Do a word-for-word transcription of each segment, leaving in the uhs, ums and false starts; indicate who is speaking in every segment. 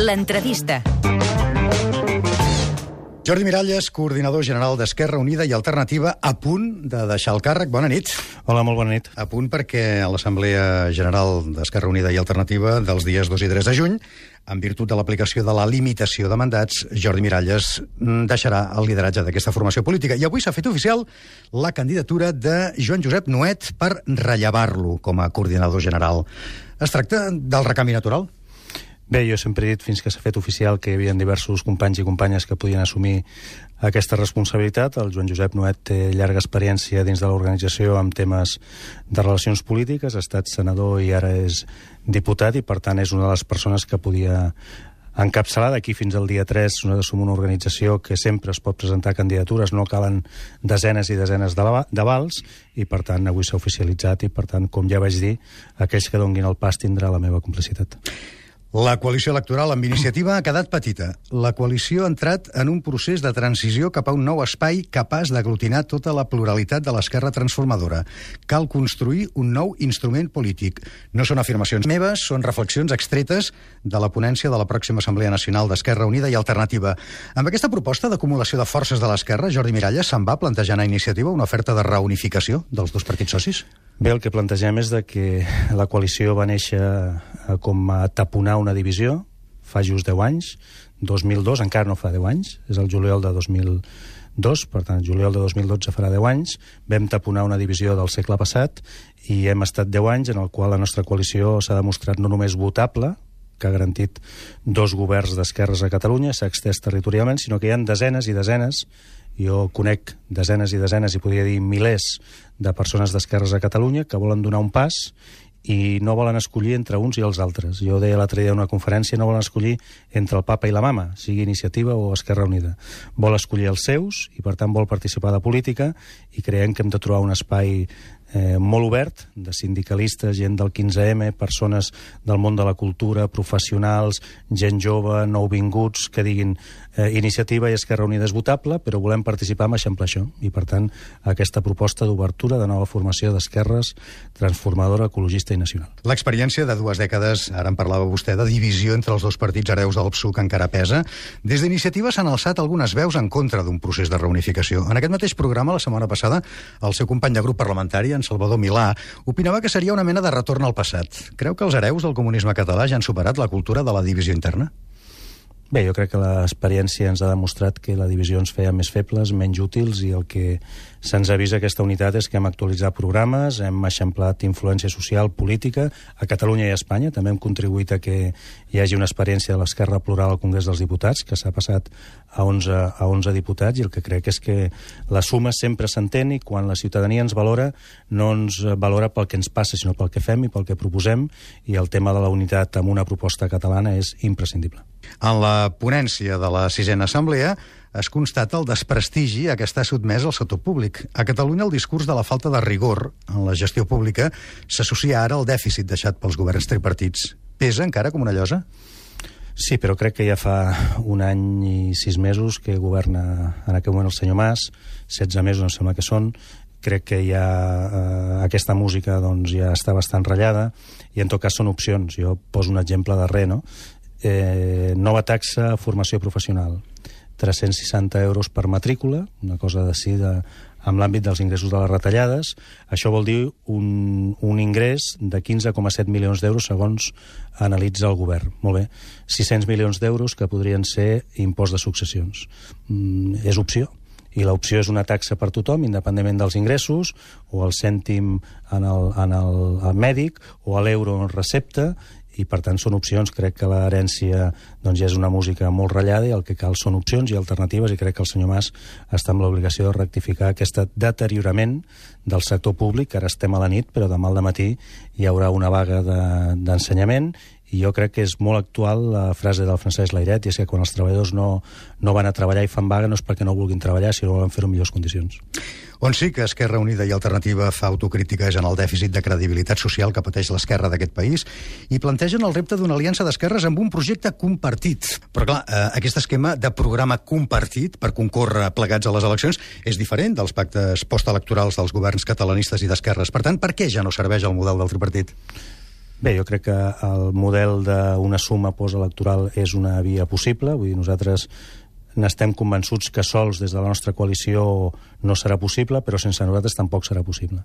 Speaker 1: L'entrevista.
Speaker 2: Jordi Miralles, coordinador general d'Esquerra Unida i Alternativa, a punt de deixar el càrrec. Bona nit.
Speaker 3: Hola, molt bona nit.
Speaker 2: A punt perquè a l'Assemblea General d'Esquerra Unida i Alternativa dels dies dos i tres de juny, en virtut de l'aplicació de la limitació de mandats, Jordi Miralles deixarà el lideratge d'aquesta formació política. I avui s'ha fet oficial la candidatura de Joan Josep Nuet per rellevar-lo com a coordinador general. Es tracta del recanvi natural?
Speaker 3: Bé, jo sempre he dit, fins que s'ha fet oficial, que hi havia diversos companys i companyes que podien assumir aquesta responsabilitat. El Joan Josep Nuet té llarga experiència dins de l'organització amb temes de relacions polítiques, ha estat senador i ara és diputat, i per tant és una de les persones que podia encapçalar. D'aquí fins al dia tres nosaltres som una organització que sempre es pot presentar candidatures, no calen desenes i desenes d'avals, i per tant avui s'ha oficialitzat, i per tant, com ja vaig dir, aquells que donguin el pas tindrà la meva complicitat.
Speaker 2: La coalició electoral amb iniciativa ha quedat petita. La coalició ha entrat en un procés de transició cap a un nou espai capaç d'aglutinar tota la pluralitat de l'esquerra transformadora. Cal construir un nou instrument polític. No són afirmacions meves, són reflexions extretes de la ponència de la pròxima Assemblea Nacional d'Esquerra Unida i Alternativa. Amb aquesta proposta d'acumulació de forces de l'esquerra, Jordi Miralles se'n va plantejant a iniciativa una oferta de reunificació dels dos partits socis?
Speaker 3: Bé, el que plantegem és de que la coalició va néixer com a taponar una divisió fa just deu anys, dos mil dos, encara no fa deu anys, és el juliol de dos mil dos, per tant, el juliol de dos mil dotze farà deu anys, vam taponar una divisió del segle passat i hem estat deu anys en el qual la nostra coalició s'ha demostrat no només votable, que ha garantit dos governs d'esquerres a Catalunya, s'ha extès territorialment, sinó que hi ha desenes i desenes, jo conec desenes i desenes, i podria dir milers de persones d'esquerres a Catalunya que volen donar un pas i no volen escollir entre uns i els altres. Jo deia l'altre dia en una conferència, no volen escollir entre el papa i la mama, sigui Iniciativa o Esquerra Unida. Vol escollir els seus i, per tant, vol participar de política, i creiem que hem de trobar un espai eh, molt obert, de sindicalistes, gent del quinze eme, persones del món de la cultura, professionals, gent jove, nouvinguts, que diguin eh, Iniciativa i Esquerra Unida és votable, però volem participar amb eixamplar això. I, per tant, aquesta proposta d'obertura de nova formació d'esquerres transformadora, ecologista i nacional.
Speaker 2: L'experiència de dues dècades, ara en parlava vostè, de divisió entre els dos partits hereus del P S U que encara pesa. Des d'Iniciativa s'han alçat algunes veus en contra d'un procés de reunificació. En aquest mateix programa, la setmana passada, el seu company de grup parlamentari, en Salvador Milà, opinava que seria una mena de retorn al passat. Creu que els hereus del comunisme català ja han superat la cultura de la divisió interna?
Speaker 3: Bé, jo crec que l'experiència ens ha demostrat que la divisió ens feia més febles, menys útils, i el que se'ns avisa aquesta unitat és que hem actualitzat programes, hem eixamplat influència social, política, a Catalunya i a Espanya. També hem contribuït a que hi hagi una experiència de l'esquerra plural al Congrés dels Diputats, que s'ha passat a onze, a onze diputats, i el que crec és que la suma sempre s'entén, i quan la ciutadania ens valora, no ens valora pel que ens passa, sinó pel que fem i pel que proposem, i el tema de la unitat amb una proposta catalana és imprescindible.
Speaker 2: En la ponència de la sisena assemblea es constata el desprestigi a què està sotmès el sector públic. A Catalunya el discurs de la falta de rigor en la gestió pública s'associa ara al dèficit deixat pels governs tripartits. Pesa encara com una llosa?
Speaker 3: Sí, però crec que ja fa un any i sis mesos que governa en aquell moment el senyor Mas, setze mesos em sembla que són. Crec que ja eh, aquesta música doncs, ja està bastant ratllada, i en tot cas són opcions. Jo poso un exemple darrer, no? Eh, nova taxa a formació professional, tres-cents seixanta euros per matrícula, una cosa decidida amb l'àmbit dels ingressos de les retallades. Això vol dir un, un ingrés de quinze coma set milions d'euros segons analitza el govern. Molt bé, sis-cents milions d'euros que podrien ser impost de successions. Mm, és opció. I l'opció és una taxa per tothom, independentment dels ingressos, o el cèntim en el, en el, el mèdic, o l'euro en recepta, i per tant són opcions. Crec que l'herència doncs, ja és una música molt ratllada, i el que cal són opcions i alternatives, i crec que el senyor Mas està amb l'obligació de rectificar aquest deteriorament del sector públic, que ara estem a la nit, però demà al dematí hi haurà una vaga d'ensenyament, i jo crec que és molt actual la frase del Francesc Layret, i és que quan els treballadors no, no van a treballar i fan vaga no és perquè no vulguin treballar, sinó volen fer-ho en millors condicions.
Speaker 2: On sí que Esquerra Unida i Alternativa fa autocrítica és en el dèficit de credibilitat social que pateix l'esquerra d'aquest país, i plantegen el repte d'una aliança d'esquerres amb un projecte compartit. Però clar, eh, aquest esquema de programa compartit per concórrer plegats a les eleccions és diferent dels pactes postelectorals dels governs catalanistes i d'esquerres. Per tant, per què ja no serveix el model del tripartit?
Speaker 3: Bé, jo crec que el model d'una suma postelectoral és una via possible. Vull dir, nosaltres n'estem convençuts que sols des de la nostra coalició no serà possible, però sense nosaltres tampoc serà possible.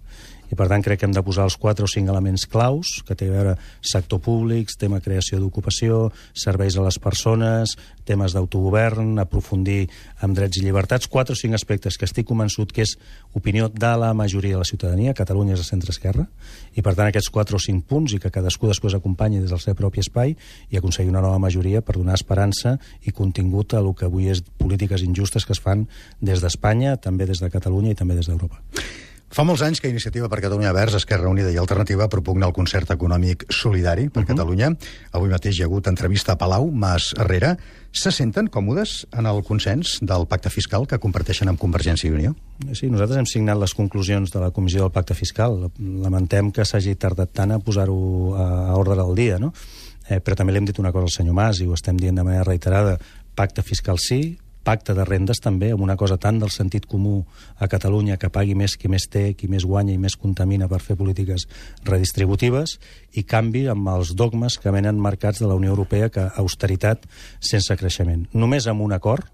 Speaker 3: I per tant crec que hem de posar els quatre o cinc elements claus, que té a veure sector públic, tema creació d'ocupació, serveis a les persones, temes d'autogovern, aprofundir en drets i llibertats, quatre o cinc aspectes que estic convençut que és opinió de la majoria de la ciutadania. Catalunya és de centre-esquerra, i per tant aquests quatre o cinc punts, i que cadascú després acompanyi des del seu propi espai i aconseguir una nova majoria per donar esperança i contingut a el que avui és polítiques injustes que es fan des d'Espanya, també des de Catalunya i també des d'Europa.
Speaker 2: Fa molts anys que Iniciativa per Catalunya Verds, Esquerra Unida i Alternativa propugna el concert econòmic solidari per uh -huh. Catalunya. Avui mateix hi ha hagut entrevista a Palau, Mas Herrera. Se senten còmodes en el consens del pacte fiscal que comparteixen amb Convergència i Unió?
Speaker 3: Sí, nosaltres hem signat les conclusions de la Comissió del Pacte Fiscal. Lamentem que s'hagi tardat tant a posar-ho a ordre del dia, no? Eh, però també li hem dit una cosa al senyor Mas, i ho estem dient de manera reiterada: pacte fiscal sí, pacte de rendes també, amb una cosa tant del sentit comú a Catalunya, que pagui més qui més té, qui més guanya i més contamina per fer polítiques redistributives, i canvi amb els dogmes que venen marcats de la Unió Europea, que austeritat sense creixement. Només amb un acord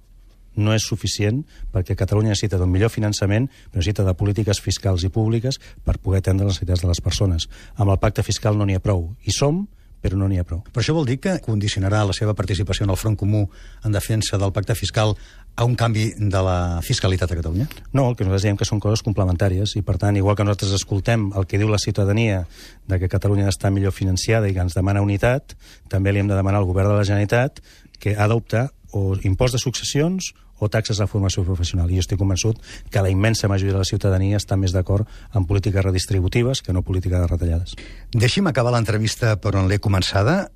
Speaker 3: no és suficient, perquè Catalunya necessita d'un millor finançament, però necessita de polítiques fiscals i públiques per poder atendre les necessitats de les persones. Amb el pacte fiscal no n'hi ha prou. Hi som, però no n'hi ha prou.
Speaker 2: Però això vol dir que condicionarà la seva participació en el Front Comú en defensa del pacte fiscal a un canvi de la fiscalitat a Catalunya?
Speaker 3: No, el que nosaltres diem que són coses complementàries, i per tant, igual que nosaltres escoltem el que diu la ciutadania de que Catalunya ha d'estar millor financiada i que ens demana unitat, també li hem de demanar al govern de la Generalitat que ha d'optar o impost de successions o taxes de formació professional. I jo estic convençut que la immensa majoria de la ciutadania està més d'acord en polítiques redistributives que no política de retallades.
Speaker 2: Deixi'm acabar l'entrevista per on l'he començada.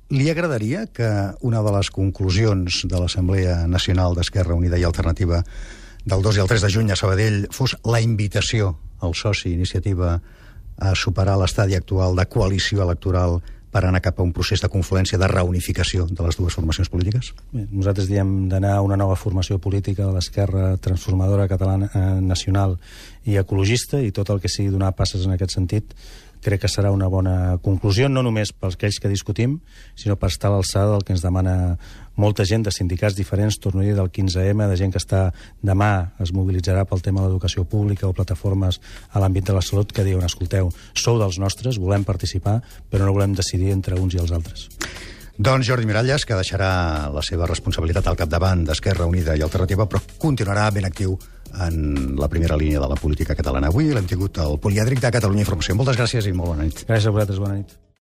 Speaker 2: Li agradaria que una de les conclusions de l'Assemblea Nacional d'Esquerra Unida i Alternativa del dos i el tres de juny a Sabadell fos la invitació al soci Iniciativa a superar l'estadi actual de coalició electoral per anar cap a un procés de confluència, de reunificació de les dues formacions polítiques?
Speaker 3: Bé, nosaltres diem d'anar a una nova formació política de l'esquerra transformadora catalana, eh, nacional i ecologista, i tot el que sigui donar passes en aquest sentit crec que serà una bona conclusió, no només pels aquells que discutim, sinó per estar a l'alçada del que ens demana molta gent de sindicats diferents, torno a dir, del quinze eme, de gent que està demà es mobilitzarà pel tema de l'educació pública o plataformes a l'àmbit de la salut, que diuen: escolteu, sou dels nostres, volem participar, però no volem decidir entre uns i els altres.
Speaker 2: Doncs Jordi Miralles, que deixarà la seva responsabilitat al capdavant d'Esquerra Unida i Alternativa, però continuarà ben actiu en la primera línia de la política catalana. Avui l'hem tingut al Polièdric de Catalunya Informació. Moltes gràcies i molt bona nit.
Speaker 3: Gràcies a vosaltres, bona nit.